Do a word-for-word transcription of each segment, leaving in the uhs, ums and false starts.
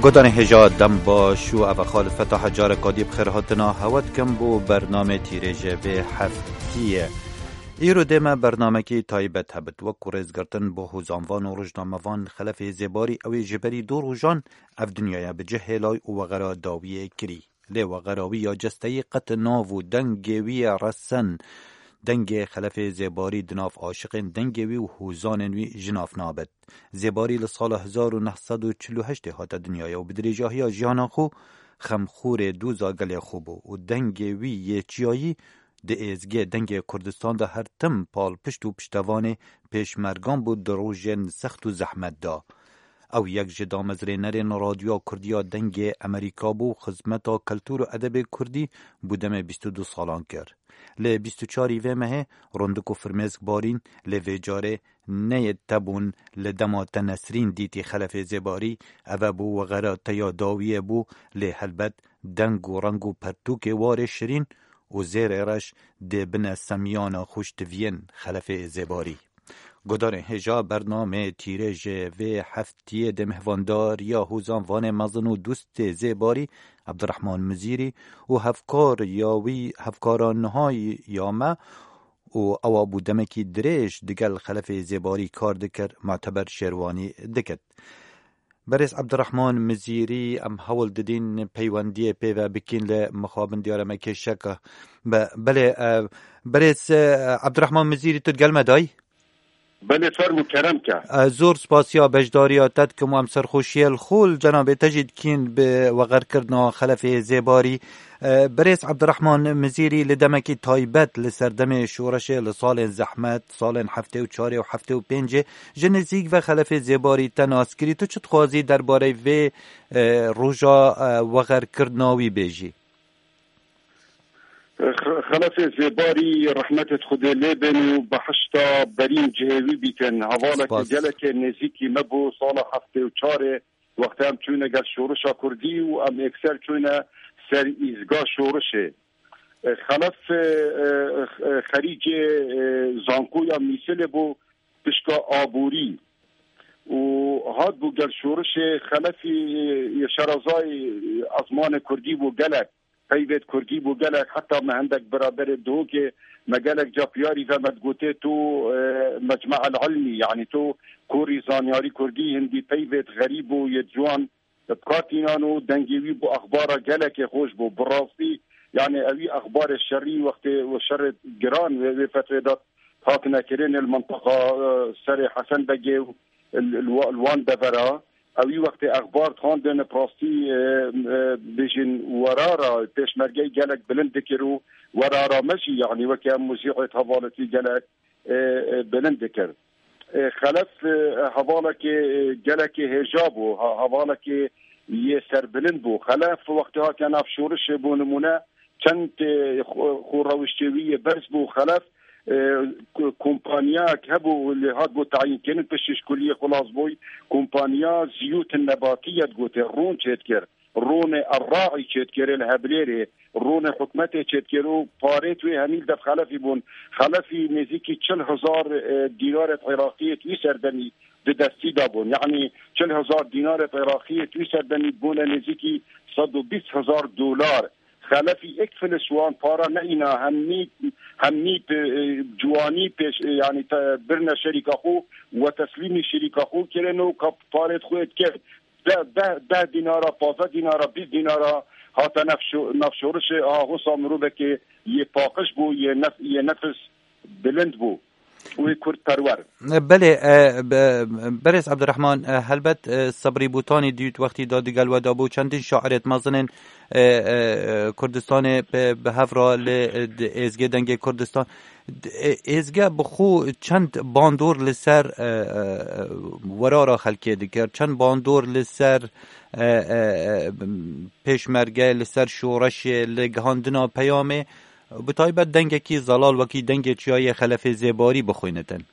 Guhdarên hêja dem baş û ev e Xalid Fetah e, careka dî bi xêr hatina hewe dikim bo bernamê tîrêjê vê heftiyê. Îro dê me bernamekî taybet hebit. Wek ku rêzgirtin bo hozanvan û rojnamevan Xelefê Zêbarî ew ê ji berî du rojan ev dinyaya bi cih hêlay û wexera dawiyê kirî. Lê wexera wî ya cesteyî qet nav û dengê wî ye resen. Dengê Xelefê Zêbarî di nav aşiqên dengê wî û hozanên wî ji nav nabit. Zêbarî li sala hezar û neh sed û çil û heştê hate dinyayê û bi dirêjahiya jiyana xwe xemxûrê doza gelê xwe bû û dengê wî yê çiyayî di êzgê dengê Kurdistan de her tim palpişt û piştevanê pêşmergan bû di rojên sext û zehmet de. Ew yek ji damezrênerên Radyoya Kurdî ya Dengê Amerîka bû û xizmeta keltûr û edebê kurdî bo demê bîst û du salan kir. Lê bîst û çarî vê mehê rindik û firmêsk barîn, lê vê carê neyê te bûn li dema te Nesrîn dîtî Xelefê Zêbarî, ev e bû wexera te ya dawiyê bû, lê helbet deng û reng û pertûkê warê şirîn û zêrê reş dê bine semiyana xwe ji tiviyên Xelefê Zêbarî. Guhdarên hêja, bernamê tîrêjê vê heftiyê dê mihvandariya hozanvanê mezin û dostê Zêbarî Ebdirehman Mizîrî û hevkar ya wî, hevkara niha ya me û ewa bû demekî dirêj digel Xelefê Zêbarî kar dikir, Muteber Şêrwanî dikit. Berêz Ebdirehman Mizîrî, em hewl didîn peywendiyê pê ve bikîn, lê mixabin diyare me kêşeke. Be-, belê, e, berêz, e, Ebdirehman Mizîrî, tu digel me dayî? Belê, fermû, kerem ke. Ez zor spasiya beşdariya te dikim û em serxweşiyê li xwe li cenabê te jî dikîn bi wexerkirina Xelefê Zêbarî. E, Birêz Ebdirehman Mizîrî li demekî taybet li serdemê şoreşê li salên zehmet, salên heftê û çarê û heftê û pêncê ji nizîk ve Xelefê Zêbarî te nas kirî. Tu çi dixwazî derbarê vê, e, roja, e, wexerkirina wî bêjî? Xe-, Xelefê Zêbarî rehmetê Xwedê lê bên û behişta berîn cihê wî bîtin. Hevaleke Spas. Gelekê nêzîkî me bû sala heftê û çarê, wextê em çûne gel şorişa Kurdî û em êkser çûne ser îzga şorişê. E, Xelef, e, e, e, xerîcê, e, zankoya Mîsilê bû pişka aborî û hat bû gel şorişê. Xelefî, e, şerazayê ezmanê Kurdî bû gelek. Peyvêt Kurdî bû gelek, heta me hindek biraderê Duhokê me gelek ca piyarî ve me digotê tu, e, mecme'el ilmî, yanî tu korî zanyarî Kurdî hindî peyvêt xerîb û yê ciwan bi kar tînan û dengê wî bû exbara gelekê xweş bû. Bi rastî, yanî ewî exbarê şerî wextê û şerê giran wê, wê fetrê de hatine kirin li mintiqa, e, serê Hesen Begê û li, li wa-, li wan devera. Ewî wextê exbar dixwandin, bi rastî, e, e, bêjin werara pêşmergeyê gelek bilind dikir û werara me jî, yanî weke em muzîqê hevaletî gelek, e, e, bilind dikir. E, Xelef, e, hevalekê, e, gelekê hêja bû, ha-, hevalekê yê serbilind bû. Xelef wextê hatiye nav şorişê, bû nimûne, çend, e, xwe, xwe rewiştê wî yê berz bû. Xelef, e, ku-, kompanyayek hebû, lê hat bû tayînkirin, piştî ji kuliyê xilas bûy. Kompanya Ziyût Nebatî ye digotê, rûn çêdikir. Rûnê Erraî çêdikirê li Heblêrê, rûnê hikûmetê çêdikir û parêt wê hemî li dev Xelefî bûn. Xelefî nêzîkî çil hezar, e, dînarêt Iraqiyê di wî serdemî di destî de bûn. Yanî çil hezar dînarêt Iraqiyê di wî serdemî bûne nêzîkî sed û bîst hezar dolar. Xelefî êk filis wan para neîna, hemî, hemî pe-, e, ciwanî pêş, e, yanî te-, birine şerîka xwe, we teslîmî şerîka xwe kirin û ka parêt xwe dikir. Deh, deh, deh dînara, pazdeh dînara, bîst dînara hate nefşo-, nefşorişê, aha, hosa mirovekê yê paqij bû, yê nef-, yê nefis bilind bû. Wê kurdperwer. Belê, e, be-, berêz Ebdirehman, e, helbet, e, Sebrî Bûtanî dît wextî da digel we de bû, çendîn şairêt mezin ên, e, e, Kurdistanê bi, bi hev ra li, e, di êzgê Dengê Kurdistan. Di, e, êzge bi xwe çend bandor li ser, e, e, werara xelkê dikir, çend bandor li ser, e, e, e, pêşmerge, li ser şoreşê, li gihandina peyamê, bi taybet dengekî zelal wekî dengê çiyayê Xelefê Zêbarî bixwînitin.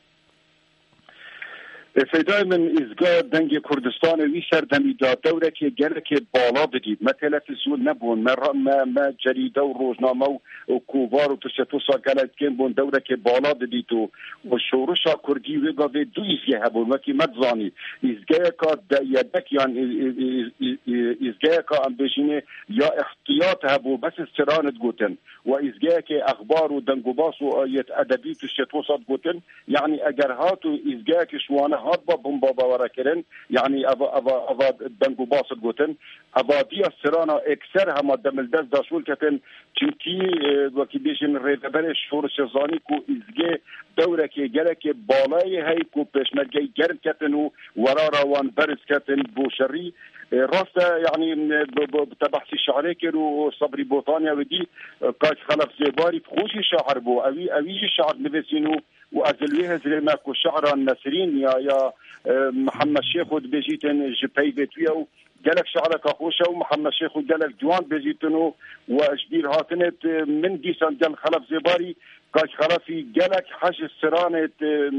E, Seydayê min, îzga Dengê Kurdistanê wî serdemî de dewrekê gelekê bala didît. Me televîzyon nebûn, me ra-, me, me cerîde û rojname û, û kovar û tiştê wisa gelek kêm bûn, dewrekê bala didît û, û şorişa kurdî wê gavê du îzge hebûn. Wekî me dizanî, îzgeyeka de-, yedek yan î-, î-, î-, î-, î-, îzgeyeka em bêjînê ya îhtiyat hebû, bes stranê digotin. Û îzgeyekê exbar û dengûbas û yê edebî tiştê wisa digotin. Yanî eger hat û îzgeyekî ji wane hat ba bomba bawerekirin, yanî eva, eva, eva dengûbas digotin, eva diya strana ekser hema demildest da şûl ketin, çimkî, e, wekî bêjin rêveberê şorişê zanî ku îzgê dewrekê gelekê balayê hey ku pêşmergeyê germ ketin û werara wan berz ketin bo şerî. E, rast e, yanî, e, bi, bi, bi te behsî şiirê kir û Sebrî Botanya wê dî, e, Kak Xelef Zêbarî bi xwe jî şair bû. Ewî, ewî jî şiir nivîsîn û, û ez li wê hizrê me ku şiira Nesrîn ya, ya, e, Mihemed Şêxo dibêjîtin ji peyvê tu ye û gelek şiireka xweş e û Mihemed Şêxo gelek ciwan dibêjîtin û, û ji bîr hatinê, e, min dîsan gel Xelef Zêbarî Kak Xelefî gelek hej stranê, e,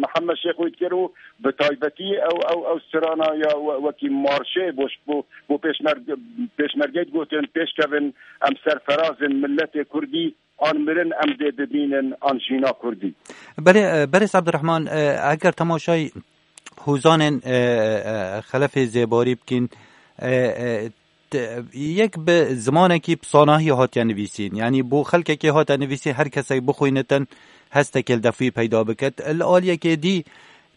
Mihemed Şêxo dikir û bi taybetî ew, ew, ew strana ya we-, wekî marşê bo, bo, bo pêşmerge-, pêşmergeyê digotin, pêşkevin, em serferazin, milletê kurdî, an mirin em dê bibînin, an jîna kurdî. Belê, e, Berêz Abdurrahman, e, eger temaşayî hûzanên, e, e, Xelefê Zêbarî bikîn, e, e, Te-, yek bi zimanekî bi sanahî hatiye nivîsîn. Yanî bo xelkekê hate nivîsî, her kesek bixwînitin, hestekê li destî peyda biket. Li aliyekê dî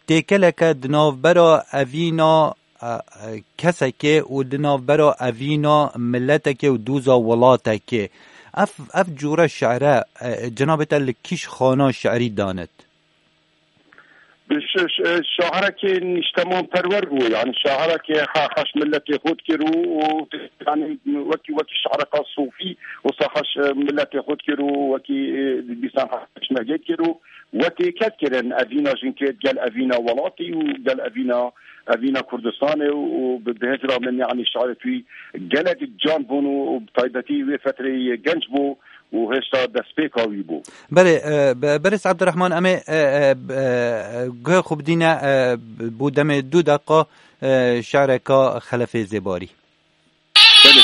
têkeleke di navbera evîna, e, e, kesekê û di navbera evîna miletekê û dûza welatekê. Ev, ev cûre şiire, e, cenabê te li kîş xana şiirî danit? Bi ş-, ş-, şahirekê nîştemanperwer bû, yanî şahirekê he-, heş miletê xwe dikir û, û, yanî wekî, wekî şaireka sofî, wisa heş, e, miletê xwe dikir û wekî, e, dîsan heş mergê dikir û we têkel kirin evîna jinkê gel evîna welatî û gel evîna, evîna Kurdistanê û, û bi, bi hizra min, yanî şairê wî gelek can bûn û, û bi taybetî wê fetreyê genc bû. û hêşta destpêka wî bû. Belê, e, be-, Berêz Abdurrahman, em ê, e, e, e, guhê xwe bidîne, e, bo demê du deqa, e, şiireka Xelefê Zêbarî. Belê.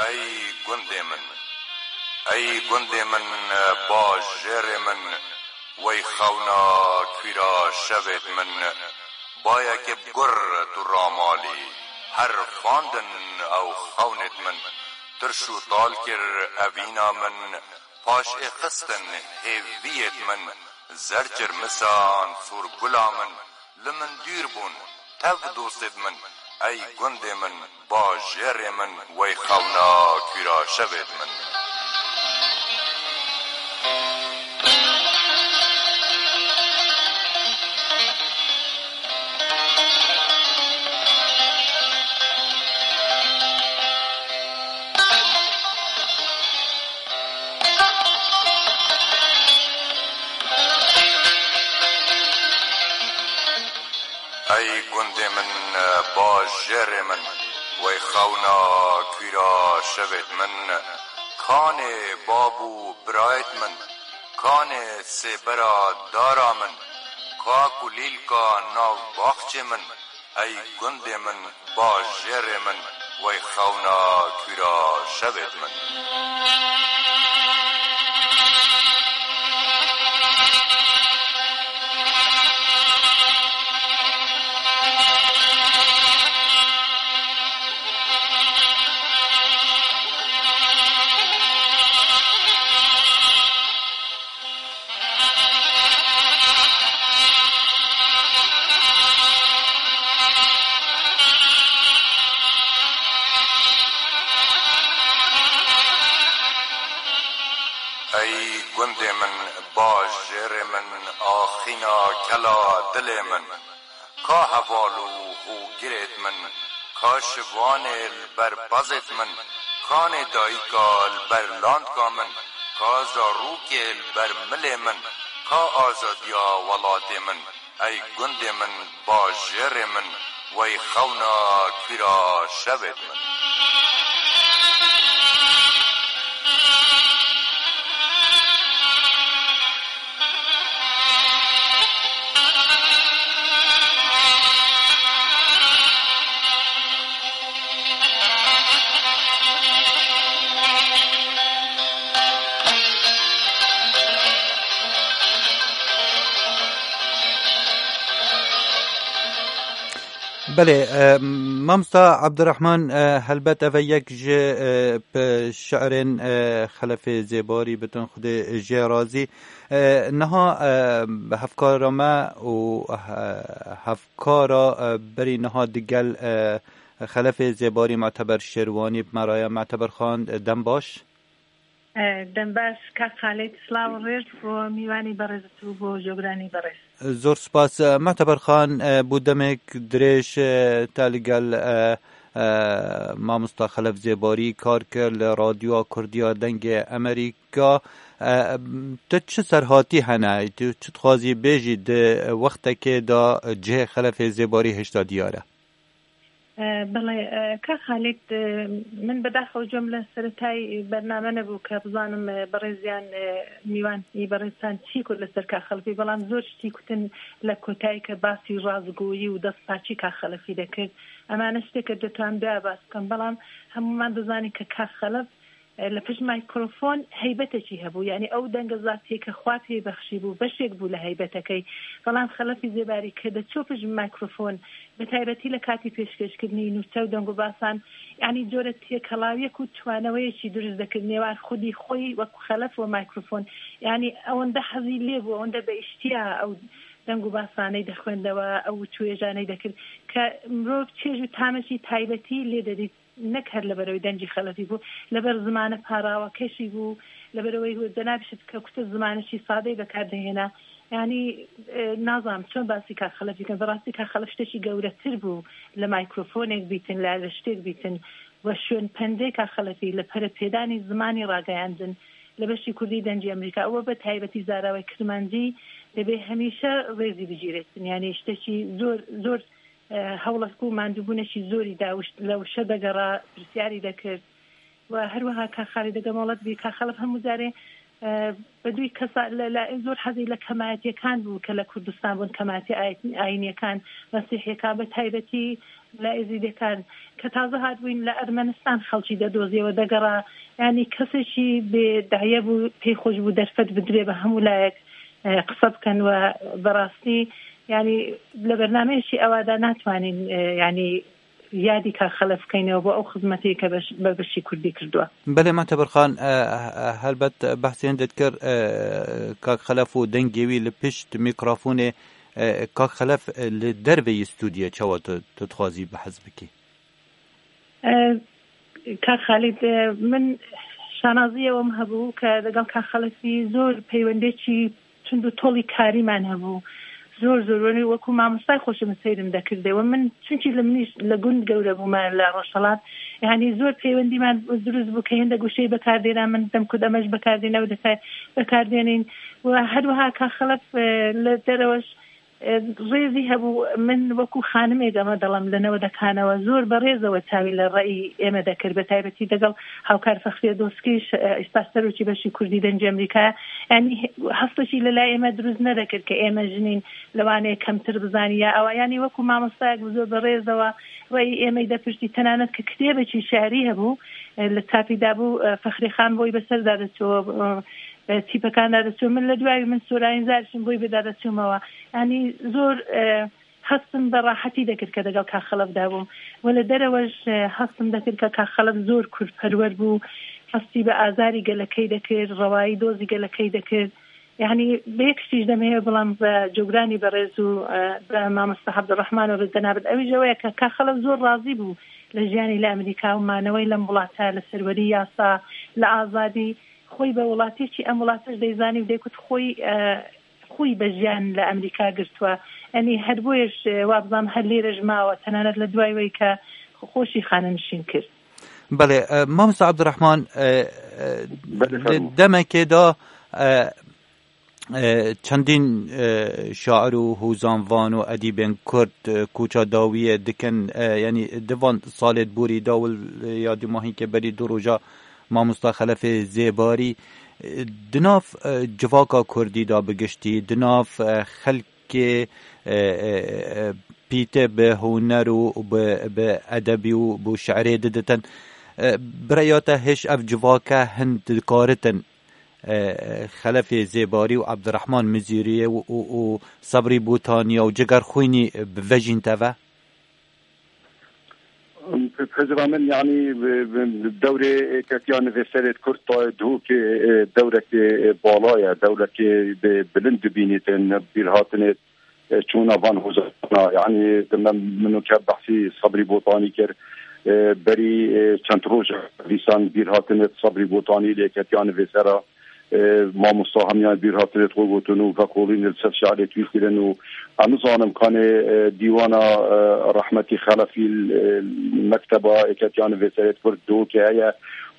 Ey gundê min, ey gundê min, bajêrê min, wey xewna kûra şevêt min, bayekê bi gur tu ramalî, her fandin ew xewnêt min, tirş û tal kir evîna min, paş ê xistin hêviyêt min, zer çirmisan sûr gula min, li min dûr bûn, tev dostêt min, ey gundê min, bajêrê min, wey xewna kûra şevêt min. Ey gundê min, bajêrê min, wey xewna kûra şevêt min, kanê bab û birayêt min, kanê sêbera dara min, ka kulîlka nav baxçê min, ey gundê min, bajêrê min, wey xewna kûra şevêt min. Ey gundê min, bajêrê min, axîna kela dilê min. Ka heval û hûgirêt min, ka şivanê li ber pezêt min, kanê dayika li ber landka min, ka zarokê li ber milê min, ka azadiya welatê min. Ey gundê min, bajêrê min, wey xewna kîra şevê min. Belê, e, mamosta Abdurrahman, e, helbet ev e yek ji, e, p-, şi'rên, e, Xelefê Zêbarî, bitin Xwedê jê razî. E, niha, e, hevkara me û, e, hevkara, e, berî niha digel, e, Xelefê Zêbarî Muteber Şêrwanî bi me re ye. Muteber Xan, e, dem baş. E, dem baş, kak Xalid, silav û rêz bo mîwanî berêz û bo cogranî berêz. Zor spas. E, Muteber Xan, e, bû demek dirêj, e, te li gel, e, e, mamosta Xelef Zêbarî kar kir li Radyoya Kurdiya Dengê Amerîka. E, tu çi serhatî hene? Tu çi dixwazî bêjî di wextekê de cihê Xelefê Zêbarî hêşta diyar e? E, belê, e, ka Xalid, e, min bedaxew cem li seretay bername nebû ke bizanim, e, berêziyan, e, mîwan î berêzan çî got li ser ka Xelefî, belam zor ştî kutin le kotayî ke basî razgoyî û destpaçî ka Xelefî dekir. Ema ne ştê ke ditonim doya bas bikim, belam hemûman dizanî ke ka Xelef E, li pişt mikrofon heybetekî hebû. Yanî ew dengeza têke xwe pê bexşî bû, beşek bû li heybetekey. Belam Xelefî Zêbarî ke diçû pişt mikrofon, bi taybetî li katî pêşkêşkirinî nûçe û deng û basan, yanî corek têkelawiyek û tuwaneweyekî dirust dekir nêwan xwedî xwî wek Xelef û mikrofon. Yanî ewende hezî lê bû, ewende bi îştiya ew deng û basaney dixwendewe, ew çûêjaney dekir ke mirov çêj û tamekî taybetî lê dedît. Nek her li ber wê dengî Xelefî bû, li ber zimane parawakeşî bû, li ber wê cenabî şit ke kute zimanekî sadeyî bekar dihêne. Yanî, e, nazanim çend basî ka Xelefî bikim. Bi rastî ka Xelef ştekî gewretir bû li mîkrofonek bîtin, li erleştêk bîtin. We şûn pendê ka Xelefî li perepêdanî zimanî rageyandin. Li beşî kurdî dengî Amerîka, ew bi taybetî zarawê kirmancî dibê hemîşe rêzî bigîrêtin. Yanî ştekî zor, zor e, hewlek û mandûbûnekî zorî da, wişt-, le wişe degera, pirsyarî dekir. Û her wiha ka Xalid degem welat bî, ka Xelef hemû carê, e, bi dûyî kesa le, le zor hezî le kemayetiyêkan bû ke le Kurdistan bûn, kemayetî ayet-, ayîniyêkan, mesîhiyêkan, bi taybetî le êzîdêkan. Ke taze hatbûyn le Ermenistan xelkî de doziyê we degera, yanî kesekî bê daye bû, pê xwe ji bû derfet bidirê bi hemû layek, e, qise bikin we bi rastî, yanî li bernameyekî ewa de natwanîn, e, yanî yadî ka Xelef bikeynê we bo ew xizmetê ke beş-, be beşî kurdî kirduwe. Belê, Muteber Xan, e, e, helbet behsê hindê dikir, e, kak Xelef û dengê wî li pişt mîkrofonê, e, kak Xelef, e, li derveyî stûdyoyê çawa tu, tu dixwazî behs bikî? E, Kak Xalid, e, min şanaziyê wem hebû ke degel Kak Xelefî zor peywendêkî tund û tolî karî man hebû. Zor zor, wenî wekû mamostay xweşe min seyrim dekirdê. We min, çunkî li minî li gund gewre bûme li Rojhelat. Yanî zor peywendî man dirust bû ke hinde goşeyî bekardêne, min dem ku demej bekardêne, ew dike bekardênîn. We her wiha Kak Xelef, e, li dereweş E, rêzî hebû, min wekû xanimê deme dilim li newedekanewe zor bi rêzewe çavî li reyî ême dekir, bi taybetî degel hawkar Fexriye Doskî, ş-, e, îsta serokî beşî kurdî dengê Amerîkaya. Yanî he-, hestekî li lay ême dirust nedekir ke ême jinîn li Wanê kemtir bizanî ya ewa. Yanî wekû mamostayek bi zor bi rêzewe reyî êmey depirtî, tenanet ke kitêbekî şi'rî hebû, e, li çapî dabû, e, Fexrî Xan boy bi ser dade çû, e, e, tîpekan dade çû. Min li duayî min sorayîn zarişin boy bi dade çûmewe. Yanî zor, e, hestim bi rahetî dekir ke degel Kak Xelef de bûm. We li derewe ji, e, hestim dekir ke Kak Xelef zor kurdperwer bû. Hestî bi azarî gelekey dekir, rewayî dozî gelekey dekir. Yanî bi yek tişt demê heye, belam bi cogranî berêz û, e, bi mamosta Abdurrahman û bi cenabit ewî jî ew ye ke Kak Xelef zor razî bû li jiyanî li Amerîka û manewey lem welata li serwerî yasa, li azadî. Xwî bi welatî çi em welatiş deyzanî û dê ku xwî, e, xwî bi jiyan li Amerîka girtwe. Yanî her boye ji, e, wa bizam her lêre ji mawe, tenanet li duayî wê ke xweşî xanenişîn kir. Belê, e, mamosta Abdurrahman, e, e, Belê, li fermo. Demekê de, e, E, çendîn, e, şair û hozanvan û edîbên Kurd, e, koça dawiyê dikin, e, yanî di van salê borî da wil, e, ya dumahînkê berî du roja mamosta Xelefê Zêbarî, e, di nav, e, civaka Kurdî da bi giştî, di nav, e, xelkê, e, e, e, pîtê bi huner û bi, bi edebî û bi şi'rê diditin. E, bi rêya te hêj ev civaka hin dikaritin e, Xelefê Zêbarî û Ebdirehman Mizîriyê û, û, û Sebrî Bûtaniya û Cigerxwînî bivejîn teve? Pezira min, yanî, bi, bi, bi dewrê Êketiya Nivîserê Kurd tayê Duhokê, e, dewrekê, e, bala ye, dewrekê bi, bilind dibînîtin, bîrhatinê, e, çûna van hozana. Yanî, di me, min û ke behsî Sebrî Botanî kir, e, berî, e, çend roj dîsan bîr hatine Sebrî Botanî lê Êketiya Nivîsera, e, mamosta hemiyan bîr hatine xwe gotin û vekolîn li ser şi'rê twî kirin û em nizanim kanê, e, dîwana, e, rehmetî Xelefî, e, mekteba Êketiya Nivîserê Kurd Duhokê heye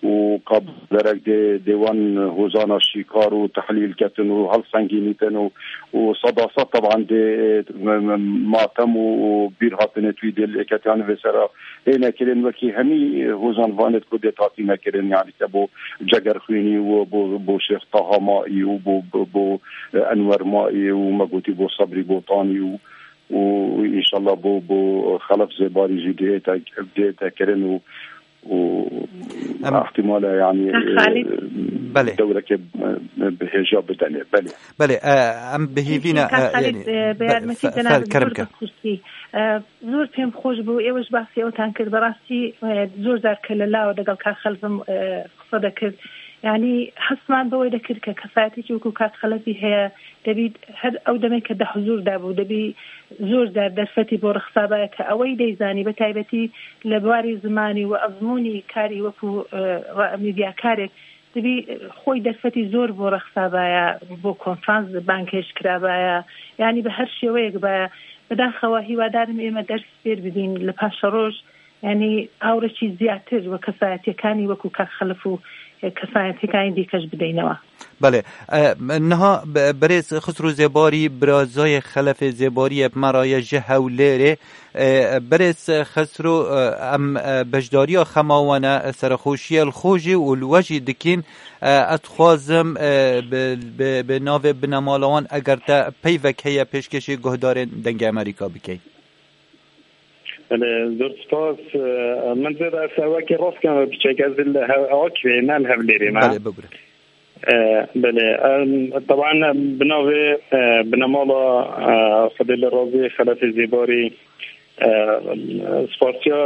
û ka derek dê, dê wan hozana şîkar û tehlîl ketin û helsengînîtin û, û seda sed teban dê, e, m-, m-, matem û, û bîr hatine twî dê li Êketiya Nivîsera hê nekirin wekî hemî hozan vanê ku dê tatî nekirin, yanî ke bo Cegerxwînî û bo, bo Şêx Taha Maî û bo, bo, bo, e, Enwer Maî û me gotî bo Sebrî Botanî û, û înşallah bo, bo Xelef Zêbarî jî dê te, dê te kirin û û Em ihtimale, yanî, Ka Xalid. e, Belê. dewreke, e, bi hêja bidene. Belê. Belê, e, em bi hîvî ne, Ka e, Xalid, yanî, e, be-, beyarmekî fe-, cenab fer-, kerem zor ke. Bi xusûsî. E, zor pêm xweş bû. Êwe ji basî ewtan kir. Berastî, e, zor car ke li law de gel Ka Xelfim, e, qise dekir. Yanî hesman bi wê dekir ke kesayetî ki wekû Ka Xelfî heye, دەبی هەر ئەو دەمێک کە دە حزور دابوو، دەبی زۆر جار دەرفەتی بۆ ڕەخسابایە کە ئەوەی دەیزانی، بە تایبەتی لە بواری زمانی و ئەزموونی کاری وەکو، ئە، ڕ-، میدیاکارێک، دەبی خۆی دەرفەتی زۆر بۆ ڕەخسابایە، بۆ کۆنفرانس بانگهێشت کرابایە، یعنی بە هەر شێوەیەک بایە. بەداخەوە هیوادارم ئێمە دەرس فێر ببین لە پاشەڕۆژ، یعنی ئاورەکی زیاتر وە کەسایەتیەکانی وەکو کاک خەلف و کەسایەتیەکانی دیکەش بدەینەوە. بەڵێ. ئە، نها ب-، بەرێز خسرو زێباری برازای خەلەفێ زێباری ئەپ مەڕایە ژە هەولێرێ. ئە، بەرێز خسرو، ئە، ئەم، ئە، بەشداریا خەماوانە سەرخۆشیە لخۆشی و لوەژی دکین. ئە، ئەتخوازم، ئە، ب-، ب-، بە ناوێ بنەماڵەوان ئەگەر تە پەیڤەک هەیە پێشکەشی گۆهدارێن دەنگی ئەمریکا بکەین. Belê, zor spas. Min zêde ez wekî rast kem piçek ez li Hev-, Akfê, ne li Hevlêrê me. Belê, bibûre. E, belê. Em, teban bi navê, e, binemala, e, Xwedê li razî Xelefê Zêbarî, e, spasiya,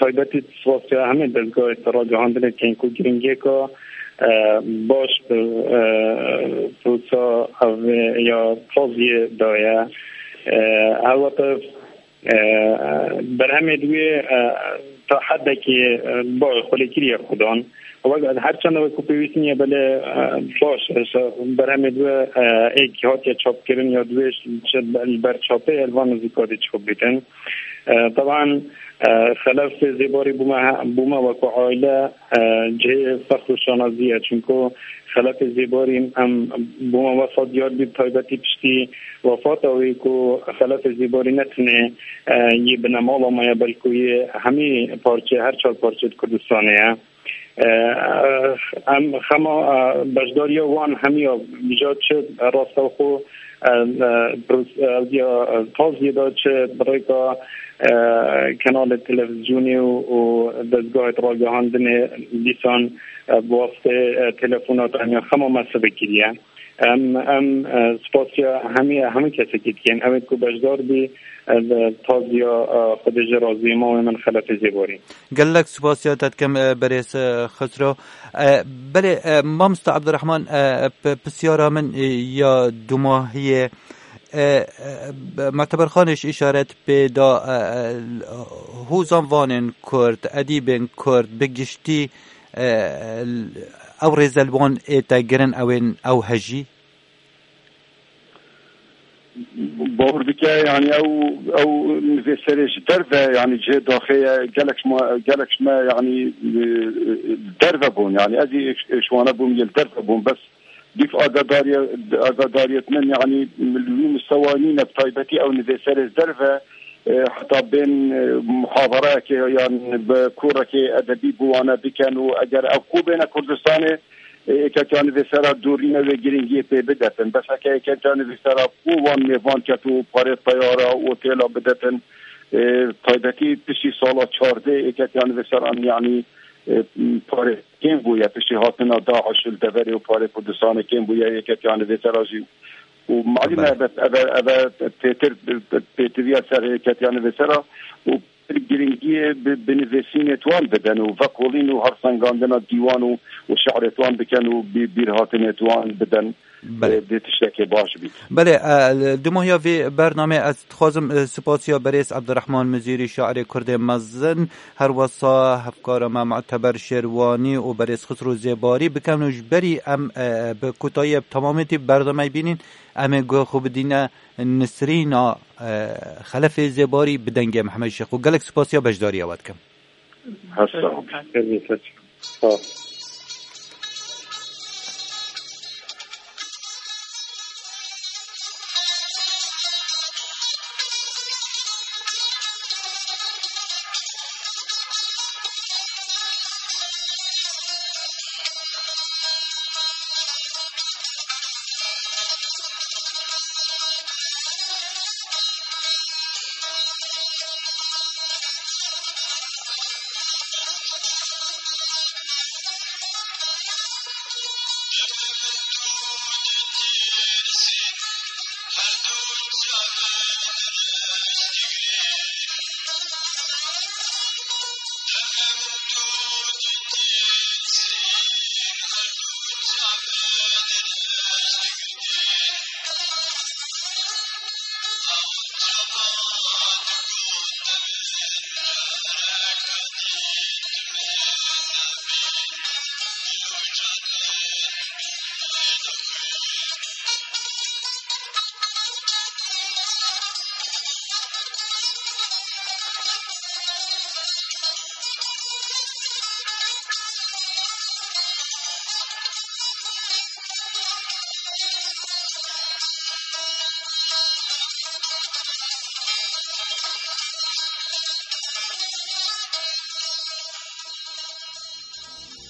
taybetî spasiya hemê dezgahê ragihandinê tên ku giringiyeka, e, baş bi, e, pirsa ev ya taziyê daye. E, helbete E, berhemê di wê, e, ta hedekê, e, ba xwelêkirî ye xudan. Wek her çend wek ku pêwîst nîye belê, e, baş, e, berhemê di wê, e, êk hatiye çapkirin ya di wê ji, ji ber çapê elvan nizîka dê çap bîtin. E, teban, e, Xelef Zêbarî bûme he-, bûme wek ku aile, e, cihê fexr û şanazî ye. Çunku Xelefê Zêbarî em bûma wesa diyar bî, bi taybetî piştî wefata wî ku Xelefê Zêbarî ne tenê, e, yê binemala me ye, belkû yê hemî parçe, her çar parçeyê di Kurdistanê ye. E, em xema, e, beşdariya wan hemiya vîja çi rastewxo, e, e, pros-, e, ya, e, taziyê de çi bi rêka, e, kanalê televîzyonê û, û dezgahê ragihandinê dîsan e, bi wastê, e, telefona tenya xema me sibe kiriye. Em, em, e, spasiya hemî, hemî kesekî dikin. Ew ê ku beşdar bî, e, li taziya, e, Xwedê ji razî mawê min Xelefê Zêbarî. Gelek spasiya te dikim, e, berêz, e, Xisro. E, belê, e, mamosta Abdurrahman, e, p-, pisyara min, e, ya dumahiyê, e, e, Muteber Xanê ji îşaret pê da, e, e, hozan vanên Kurd, edîbên Kurd, bi giştî e, ew rêze li wan ê te girin ew ên ew hejî? Bawer bike, yanî ew, ew nivîserê ji derve, yanî cihê daxê ye, gelek ji me, gelek ji me, yanî, e, derve bûn. Yanî ez ê ji wana bûm, yê li derve bûm, bes Dîf agadariyê, agadariyêt min, yanî li wî mistewa nîne, bi taybetî ew nivîserê derve, e, heta bên, e, muhadareyekê yan bi kûrekê edebî bi wane bikin û eger ev xwe bêne Kurdistanê, e, êketiya nivîsera dûrîne wê giringiyê pê bidetin. Bes heke êketiya nivîsera xwe wan mêvan ket û parê teyara û otêla bidetin, e, taybetî piştî sala çardeh êketiya nivîseran, yanî, e, parê kêm bûye piştî hatina DAIŞ li deverê û parê Kurdistanê kêm bûye, êketiya nivîsera jî. Û malûm e, Belê. eve, eve, eve pêtir, pêtiviya ser êketiya nivîsera û pir giringiyê bi, bi nivîsînê wan bidin û vekolîn û hersengandina dîwan û, û şi'rê wan bikin û bî-, bîrhatinê wan bidin. Belê. E, dê tiştekê baş bît. Belê, e, li dumahiya vê bernamê ez dixwazim, e, spasiya berêz Ebdurrahman Mizîrî, şairê Kurdê mezin, her wesa hevkara me Muteber Şêrwanî û berêz Xisro Zêbarî bikin û ji berî em, e, bi kotayiyê bi temamêtî bernameyê bînîn, em ê guhê xwe bidîne Nisrîna, e, Xelefê Zêbarî bi dengê Mihemed Şêx û gelek spasiya beşdariya we dikim. Hesta. Sağ ol. Sağ ol.